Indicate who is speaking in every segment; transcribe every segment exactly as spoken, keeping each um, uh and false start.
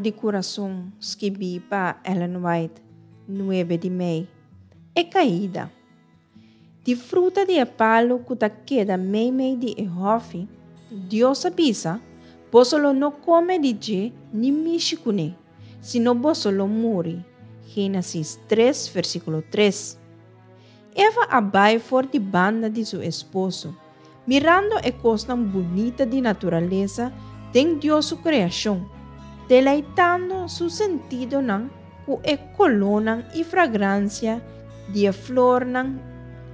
Speaker 1: di Kurason, skibí pa Ellen White, nuebe di mei. E kaida. Di fruta di e palu ku ta keda meimei di e hòfi, Dios a bisa, Boso lo no kome di dje ni mishi kuné, sino boso lo muri. Génesis tres, versíkulo tres. Eva a bai for di banda di su esposo, mirando e kosnan bunita di naturalesa den Dios su kreashon, deleitando su sentidonan ku e kolónan i fragransia di e flornan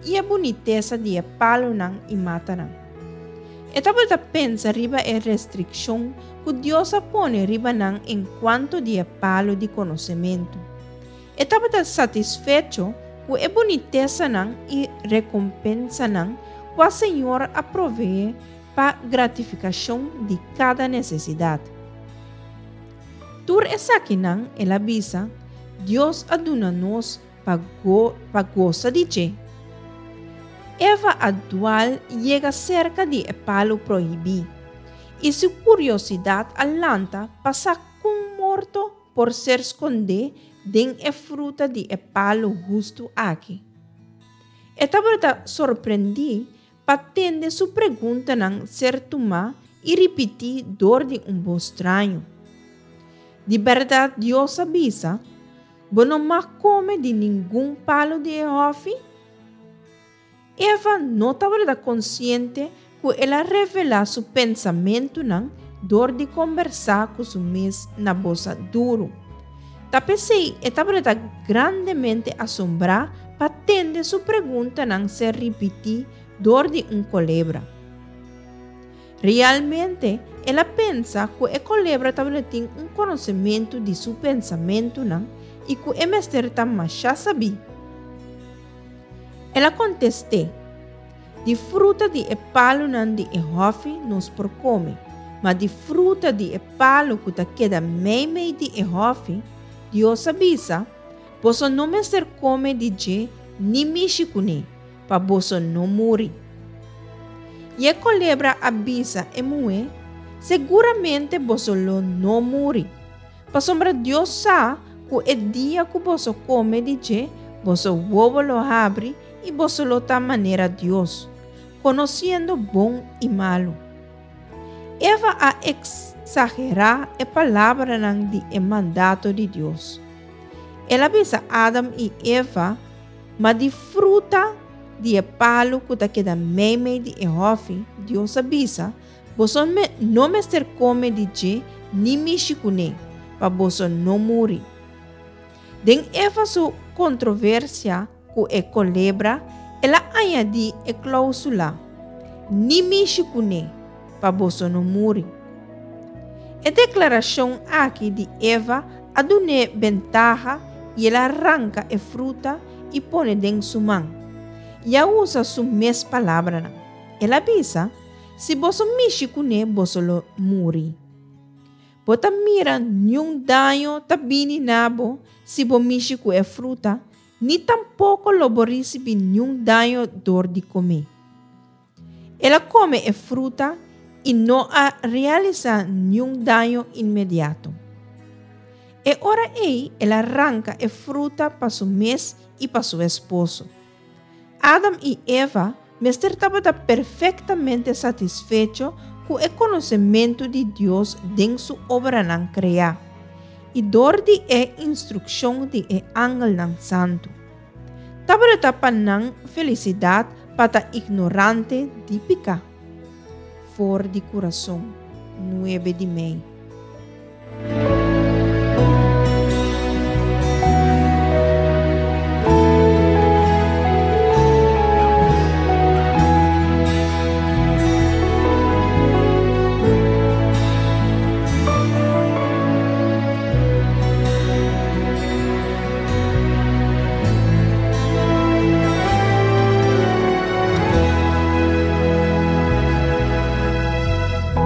Speaker 1: i e bunitesa di e palunan i matanan. E tabata pensa riba e restrikshon ku Dios a pone riba nan enkuanto di e palu di konosementu. E tabata satisfecho ku e bunitesanan i rekompensanan kua Señor a proveé pa gratifikashon di kada nesesidat. Tur esakinan, el a bisa, Dios a duna nos pa go pa gosa di dje. Eva a dual yega serka di e palu prohibí, i su kuriosidat a lanta pa sa kon morto por ser skondé den e fruta di e palu hustu aki. E tabata sorprendí pa tende su preguntanan ser tumá i ripití dor di un bos straño. Di bèrdat Dios a bisa, Bo no mag kome di ningun palu di e hòfi? Eva no tabata konsiente ku el a revelá su pensamentunan dor di kombersá ku su mes na bos duru. Ta p'esei e tabata grandemente asombrá pa tende su preguntanan ser ripití dor di un kolebra. Realmente, el a pensa ku e kolebra tabatin un konosementu di su pensamentunan i ku e mester ta masha sabí. El a kontest'é, Di fruta di e palunan di e hòfi nos por kome, ma di fruta di e palu ku ta keda meimei di e hòfi, Dios a bisa, Boso no mester kome di dje ni mishi kuné, pa boso no muri. I e kolebra a bisa e muhé, Seguramente boso lo no muri. Pasobra Dios sa ku e dia ku boso kome di dje, boso wowo lo habri i boso lo ta manera Dios, konosiendo bon i malu. Eva a eksagerá e palabranan di e mandato di Dios. El a bisa Adam i Eva, Ma di fruta di e palu ku ta keda meimei di e hòfi, Dios a bisa, Boso no mester kome di dje ni mishi kuné, pa boso no muri. Den Eva su kontroversia ku e kolebra, el a añadí e klóusula, Ni mishi kuné, pa boso no muri. E deklarashon aki di Eva a dun'é bentaha i el a ranka e fruta i pone den su man. I a usa su mes palabranan. El a bisa, Si boso mishi kuné boso lo muri. Bo ta mira niun daño ta bini na bo si bo mishi ku e fruta, ni tampoko lo bo risibí niun daño dor di kom'é. El a kome e fruta i no a realisá niun daño inmediato. E ora ei el a ranka e fruta pa su mes i pa su esposo. Adam i Eva mester tabata perfektamente satisfecho ku e konosementu di Dios den su obranan kreá i dor di e instrukshon di e angelnan santu. Tabata pa nan felisidat pa ta ignorante di piká. For di Kurason, nuebe di mei.